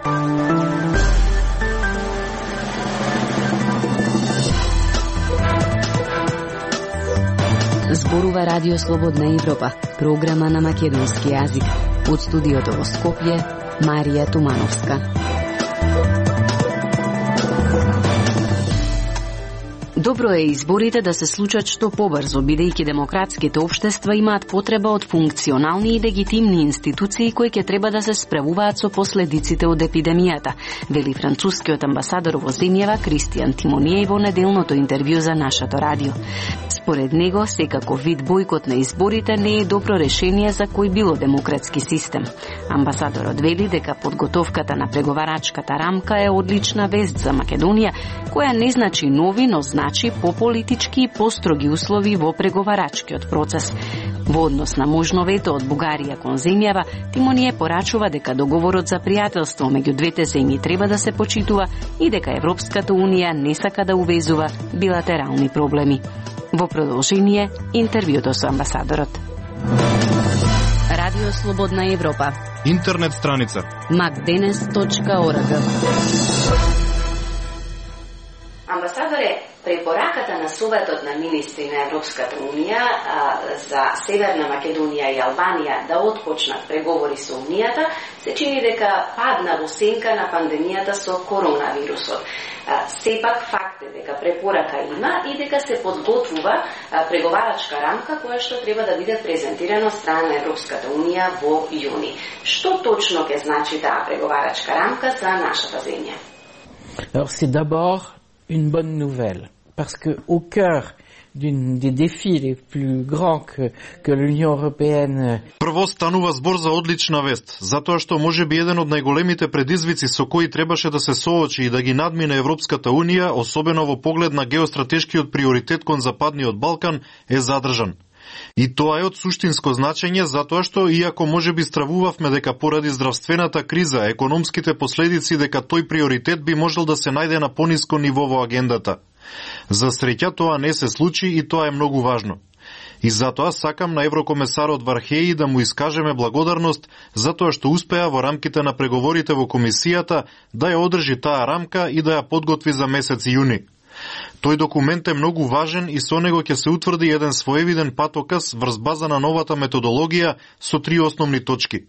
Зборува Радио Слободна Европа, програма на македонски јазик. Од студиото во Скопје, Марија Тумановска. Добро е изборите да се случат што побрзо, бидејќи демократските општества имаат потреба од функционални и легитимни институции кои ќе треба да се справуваат со последиците од епидемијата, вели францускиот амбасадор во земјава Кристијан Тимоније во неделното интервју за нашето радио. Според него, секако вид бојкот на изборите не е добро решение за кој било демократски систем. Амбасадорот вели дека подготовката на преговарачката рамка е одлична вест за Македонија, која не значи нови, но значи пополитички и построги услови во преговарачкиот процес. Во однос на можно вето од Бугарија кон земјава, Тимоније порачува дека договорот за пријателство меѓу двете земји треба да се почитува и дека Европската унија не сака да увезува билатерални проблеми. Во продолжение, интервјуто со амбасадорот. Радио Слободна Европа. Интернет страница macdenes.org. Амбасадоре, препораката на Советот на министри на Европската унија за Северна Македонија и Албанија да отпочнат преговори со Унијата се чини дека падна во сенка на пандемијата со коронавирусот. Сепак факт е дека препорака има и дека се подготвува преговарачка рамка која што треба да биде презентирана од страна на Европската унија во јуни. Што точно ќе значи таа преговарачка рамка за нашата земја? Alors c'est d'abord une bonne nouvelle, parce que au cœur des défis les plus grands que l'Union européenne. Прво станува збор за одлична вест, затоа што можеби еден од најголемите предизвици со кои требаше да се соочи и да ги надмине Европската унија, особено во поглед на геостратешкиот приоритет кон Западниот Балкан, е задржан. И тоа е од суштинско значење, затоа што, иако можеби стравувавме дека поради здравствената криза, економските последици, дека тој приоритет би можел да се најде на пониско ниво во агендата. За среќа тоа не се случи и тоа е многу важно. И затоа сакам на еврокомесарот Вархеи да му искажеме благодарност затоа што успеа во рамките на преговорите во комисијата да ја одржи таа рамка и да ја подготви за месец јуни. Тој документ е многу важен и со него ќе се утврди еден своевиден патоказ врз база на новата методологија со 3 основни точки.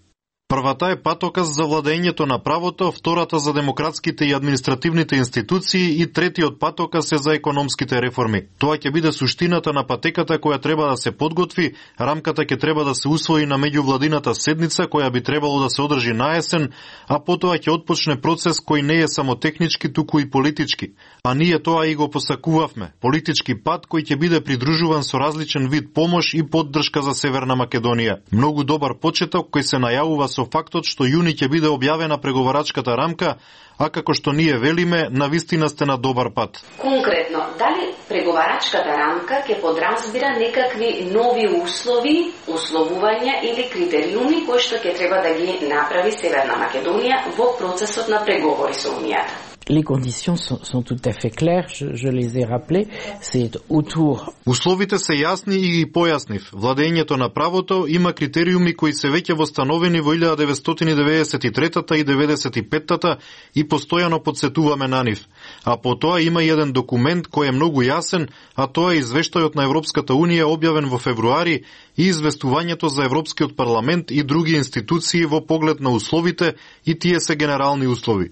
Првата е патоказ за владењето на правото, втората за демократските и административните институции и третиот патоказ е за економските реформи. Тоа ќе биде суштината на патеката која треба да се подготви, рамката ќе треба да се усвои на меѓувладината седница која би требало да се одржи на есен, а потоа ќе отпочне процес кој не е само технички, туку и политички. А ние тоа и го посакувавме. Политички пат кој ќе биде придружуван со различен вид помош и поддршка за Северна Македонија. Многу добар почеток кој се најавува со фактот што јуни ќе биде објавена преговарачката рамка, а како што ние велиме, навистина сте на добар пат. Конкретно, дали преговарачката рамка ќе подразбира некакви нови услови, условувања или критериуми кои што ќе треба да ги направи Северна Македонија во процесот на преговори со Унијата? Les conditions sont tout à fait claires, je les ai rappelées, c'est autour. Условите се јасни и ги појаснив. Владењето на правото има критериуми кои се веќе востановени во 1993 и 95 и постојано подсетуваме на нив. А потоа има и еден документ кој е многу јасен, а тоа е извештајот на Европската унија објавен во февруари и известувањето за Европскиот парламент и други институции во поглед на условите и тие се генерални услови.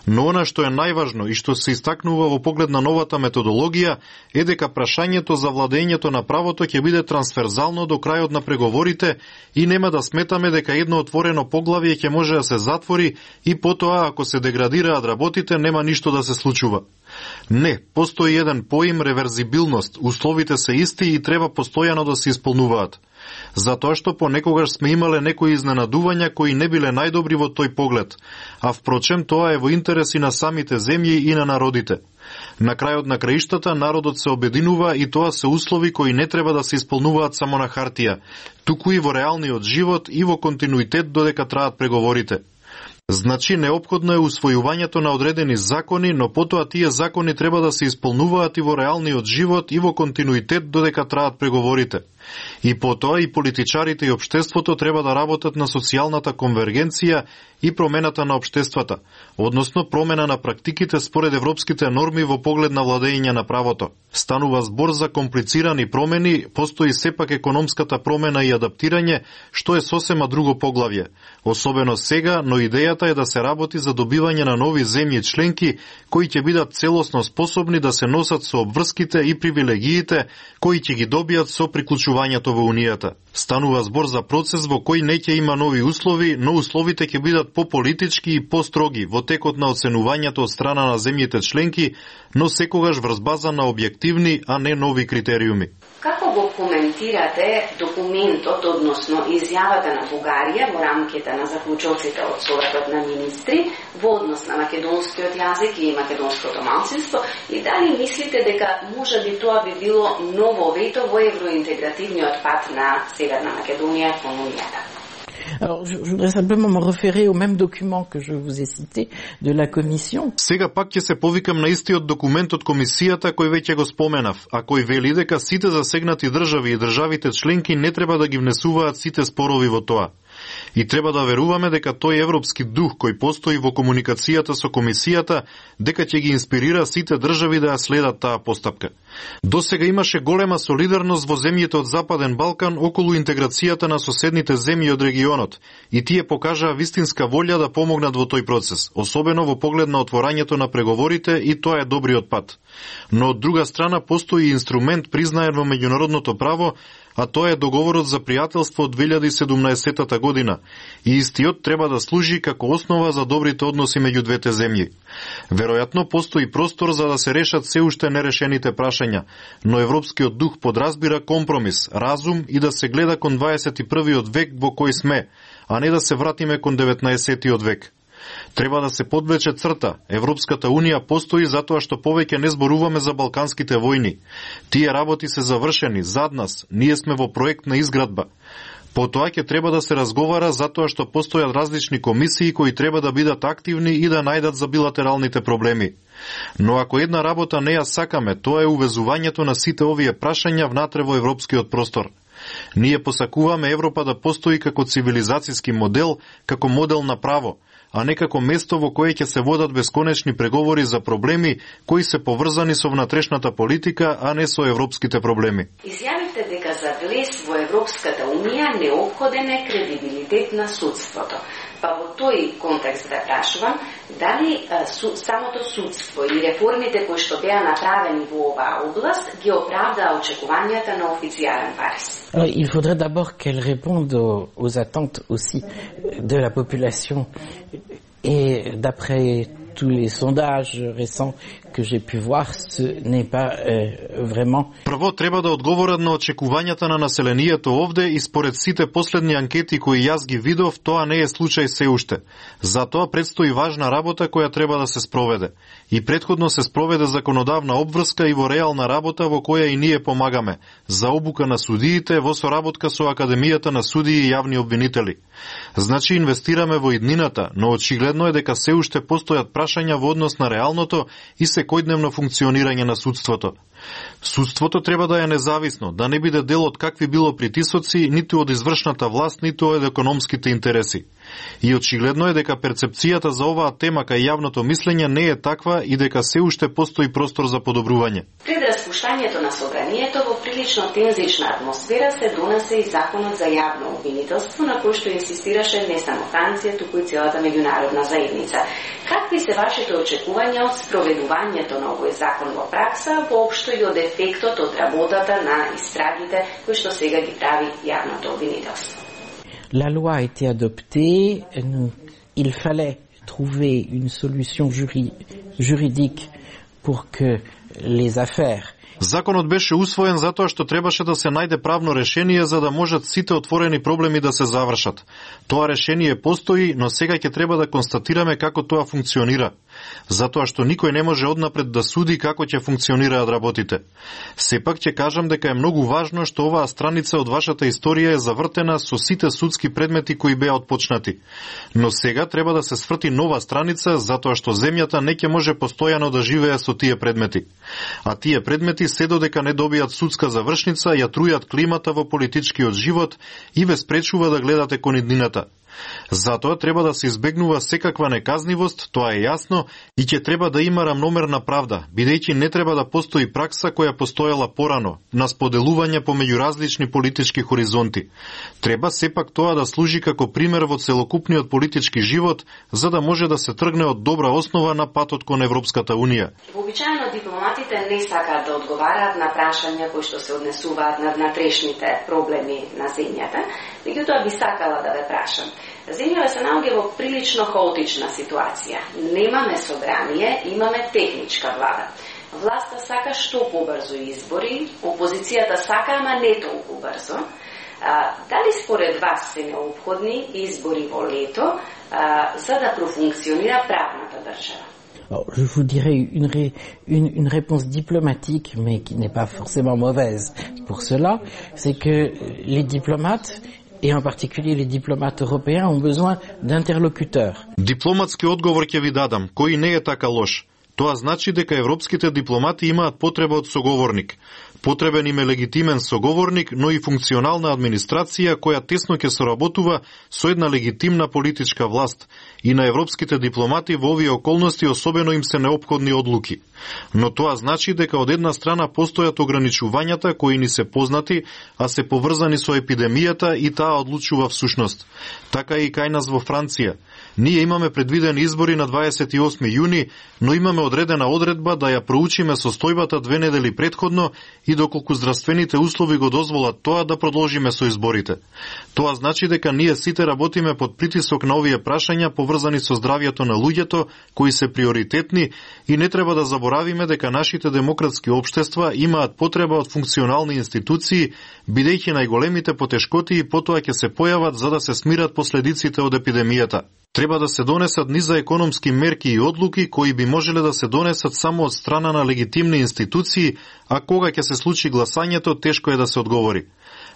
Но она што е најважно и што се истакнува во поглед на новата методологија е дека прашањето за владењето на правото ќе биде трансферзално до крајот на преговорите и нема да сметаме дека едно отворено поглавје ќе може да се затвори и потоа ако се деградираат работите нема ништо да се случува. Не, постои еден поим реверзибилност, условите се исти и треба постојано да се исполнуваат. Затоа што понекогаш сме имале некои изненадувања кои не биле најдобри во тој поглед, а впрочем тоа е во интереси на самите земји и на народите. На крајот на краиштата народот се обединува и тоа се услови кои не треба да се исполнуваат само на хартија, туку и во реалниот живот и во континуитет додека траат преговорите. Значи, неопходно е усвојувањето на одредени закони, но потоа тие закони треба да се исполнуваат и во реалниот живот и во континуитет додека траат преговорите. И потоа и политичарите и општеството треба да работат на социјалната конвергенција и промената на општествата, односно промена на практиките според европските норми во поглед на владење на правото. Станува збор за комплицирани промени, постои сепак економската промена и адаптирање, што е сосема друго поглавје. Особено сега, но идејата е да се работи за добивање на нови земји членки кои ќе бидат целосно способни да се носат со обврските и привилегиите кои ќе ги добијат со приклучувањето во Унијата. Станува збор за процес во кој не ќе има нови услови, но условите ќе бидат пополитички и построги во текот на оценувањето од страна на земјите членки, но секогаш врз база на објективни, а не нови критериуми. Како го коментирате документот, односно изјавата на Бугарија во рамките на заклучоците од Советот на министри во однос на македонскиот јазик и македонското малцинство, и дали мислите дека можеби тоа би било ново вето во евроинтегративниот пат на Северна Македонија кон Унијата? Alors, je voudrais simplement me référer au même document que je vous ai cité de la Commission. Сега пак ќе се повикам на истиот документ од Комисијата кој веќе го споменав, а кој вели дека сите засегнати држави и државите членки не треба да ги внесуваат сите спорови во тоа. И треба да веруваме дека тој европски дух кој постои во комуникацијата со Комисијата, дека ќе ги инспирира сите држави да ја следат таа постапка. Досега имаше голема солидарност во земјите од Западен Балкан околу интеграцијата на соседните земји од регионот, и тие покажаа вистинска волја да помогнат во тој процес, особено во поглед на отворањето на преговорите, и тоа е добриот пат. Но од друга страна постои инструмент признаен во меѓународното право, а тоа е договорот за пријателство од 2017 година, и истиот треба да служи како основа за добрите односи меѓу двете земји. Веројатно постои простор за да се решат се уште нерешените прашања, но европскиот дух подразбира компромис, разум и да се гледа кон 21. век во кој сме, а не да се вратиме кон 19. век. Треба да се подвлече црта. Европската Унија постои затоа што повеќе не зборуваме за балканските војни. Тие работи се завршени, зад нас, ние сме во проект на изградба. Потоа ќе треба да се разговара затоа што постојат различни комисии кои треба да бидат активни и да најдат за билатералните проблеми. Но ако една работа не ја сакаме, тоа е увезувањето на сите овие прашања внатре во европскиот простор. Ние посакуваме Европа да постои како цивилизацијски модел, како модел на право, а не како место во кое ќе се водат бесконечни преговори за проблеми кои се поврзани со внатрешната политика, а не со европските проблеми. Изјавите дека за влез во Европската Унија неопходен е кредибилитет на судството. Па во тој контекст да прашувам, дали самото судство и реформите кои што беа направени во оваа област ги оправдаа очекувањата на официјален Париз? Alors, il faudrait d'abord qu'elle réponde aux attentes aussi de la population. Et d'après tous les sondages récents que j'ai pu voir, ce n'est pas vraiment... Прво треба да одговорат на очекувањата на населението овде, и според сите последни анкети кои јас ги видов, тоа не е случај се уште. Затоа предстои важна работа која треба да се спроведе. И претходно се спроведе законодавна обврска и во реална работа во која и ние помагаме, за обука на судиите во соработка со Академијата на судии и јавни обвинители. Значи инвестираме во иднината, но очигледно е дека се уште постојат прашања во однос на реалното и секојдневно функционирање на судството. Судството треба да е независно, да не биде дел од какви било притисоци, ниту од извршната власт, ниту од економските интереси. И очигледно е дека перцепцијата за оваа тема кај јавното мислење не е таква и дека се уште постои простор за подобрување. Пред распуштањето на собранието во прилично тензична атмосфера се донесе и законот за јавно обвинителство, на кој што инсистираше не само Франција, туку и целата меѓународна заедница. Какви се вашите очекувања од спроведувањето на овој закон во пракса, воопшто и од ефектот од работата на истрагите кои што сега ги прави јавното обвинителство? La loi a été adoptée, il fallait trouver une solution juridique pour que les affaires... Законот беше усвоен затоа што требаше да се најде правно решение за да можат сите отворени проблеми да се завршат. Тоа решение постои, но сега ќе треба да констатираме како тоа функционира. затоа што никој не може однапред да суди како ќе функционираат работите. Сепак ќе кажам дека е многу важно што оваа страница од вашата историја е завртена со сите судски предмети кои беа отпочнати. Но сега треба да се сврти нова страница, затоа што земјата не ќе може постојано да живее со тие предмети. А тие предмети се додека не добијат судска завршница, ја трујат климата во политичкиот живот и ве спречува да гледате кон иднината. Затоа треба да се избегнува секаква неказнивост, тоа е јасно, и ќе треба да има рамномерна правда, бидејќи не треба да постои пракса која постоела порано, на споделување помеѓу различни политички хоризонти. Треба сепак тоа да служи како пример во целокупниот политички живот, за да може да се тргне од добра основа на патот кон Европската Унија. Вообичаено дипломатите не сакаат да одговараат на прашања кои што се однесуваат на внатрешните проблеми на земјата, меѓутоа би сакала да ве прашам. Земјава се наоѓа во прилично хаотична ситуација. Немаме собрание, имаме техничка влада. Власта сака што побрзо избори, опозицијата сака, ама не толку брзо. Дали според вас се необходни избори во лето за да профункционира правната држава? Alors, je vous dirais une réponse diplomatique, mais qui n'est pas forcément mauvaise pour cela, c'est que les diplomates, et en particulier les diplomates européens, ont besoin d'interlocuteurs. Дипломатски одговор ќе ви дадам, кој не е така лош. Тоа значи дека европските дипломати имаат потреба од соговорник. Потребен им е легитимен соговорник, но и функционална администрација која тесно ќе соработува со една легитимна политичка власт. И на европските дипломати во овие околности особено им се неопходни одлуки. Но тоа значи дека од една страна постојат ограничувањата кои ни се познати, а се поврзани со епидемијата и таа одлучува всушност. Така и кај нас во Франција. Ние имаме предвидени избори на 28 јуни, но имаме одредена одредба да ја проучиме состојбата 2 недели претходно и доколку здравствените услови го дозволат тоа да продолжиме со изборите. Тоа значи дека ние сите работиме под притисок на овие прашања поврзани со здравјето на луѓето, кои се приоритетни, и не треба да заборавиме дека нашите демократски општества имаат потреба од функционални институции, бидејќи најголемите потешкоти и потоа ќе се појават за да се смират последиците од епидемијата. Треба да се донесат низа економски мерки и одлуки кои би можеле да се донесат само од страна на легитимни институции, а кога ќе се случи гласањето, тешко е да се одговори.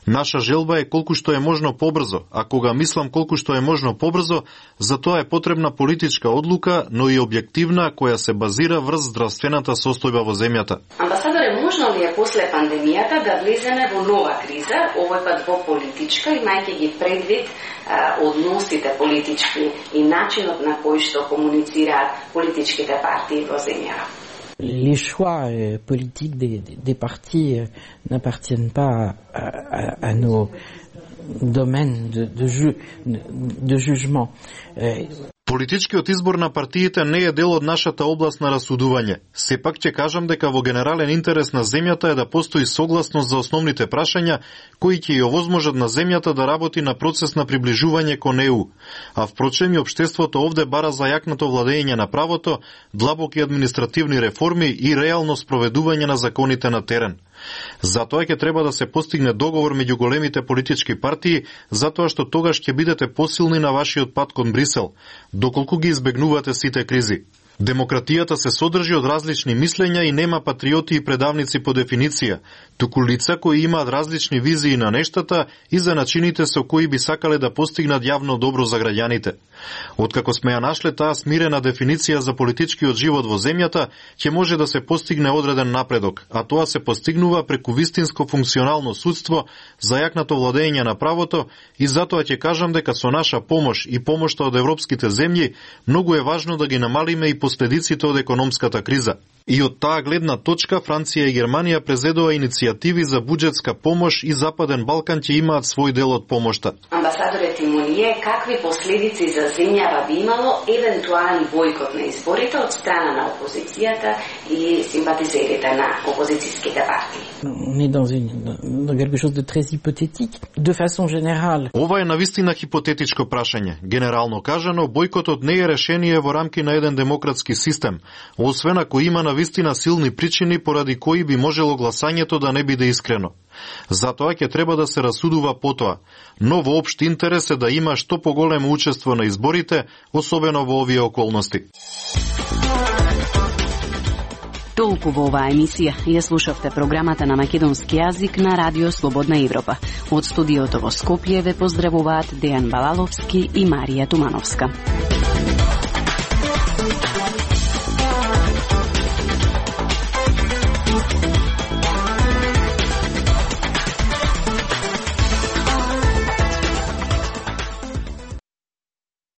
Наша желба е колку што е можно побрзо, а кога мислам колку што е можно побрзо, за тоа е потребна политичка одлука, но и објективна, која се базира врз здравствената состојба во земјата. Амбасадоре, можно ли е после пандемијата да влеземе во нова криза, овој пат во политичка, имајќи ги предвид односите политички и начинот на кој што комуницираат политичките партии во земјава? Les choix politiques des partis n'appartiennent pas à nos domaines de jugement. Политичкиот избор на партиите не е дел од нашата област на расудување. Сепак ќе кажам дека во генерален интерес на земјата е да постои согласност за основните прашања кои ќе ја овозможат на земјата да работи на процес на приближување кон ЕУ. А впрочем и општеството овде бара зајакнато владење на правото, длабоки административни реформи и реално спроведување на законите на терен. Затоа ќе треба да се постигне договор меѓу големите политички партии, затоа што тогаш ќе бидете посилни на вашиот пат кон Брисел, доколку ги избегнувате сите кризи. Демократијата се содржи од различни мислења и нема патриоти и предавници по дефиниција, туку лица кои имаат различни визии на нештата и за начините со кои би сакале да постигнат јавно добро за граѓаните. Откако сме ја нашле таа смирена дефиниција за политичкиот живот во земјата, ќе може да се постигне одреден напредок, а тоа се постигнува преку вистинско функционално судство, зајакнато владење на правото, и затоа ќе кажам дека со наша помош и помошта од европските земји многу е важно да ги намалиме и последиците од економската криза. И од таа гледна точка Франција и Германија презедоа иницијативи за буџетска помош и Западен Балкан ќе имаат свој дел од помошта. Амбасадоре Тимоние, какви последици за земјава би имало евентуален бойкот на изборите од страна на опозицијата и симпатизерите на опозицијските партии? On est dans quelque chose de très hypothétique. De façon générale. Ова е навистина хипотетичко прашање. Генерално кажано, бојкотот не е решение во рамки на еден демократски систем, освен ако има навистина силни причини поради кои би можело гласањето да не биде искрено. Затоа ќе треба да се расудува потоа, но во општ интерес е да има што поголемо учество на изборите, особено во овие околности. Толку во оваа емисија. Ја слушавте програмата на македонски јазик на Радио Слободна Европа. Од студиото во Скопје ве поздравуваат Дејан Балаловски и Марија Тумановска.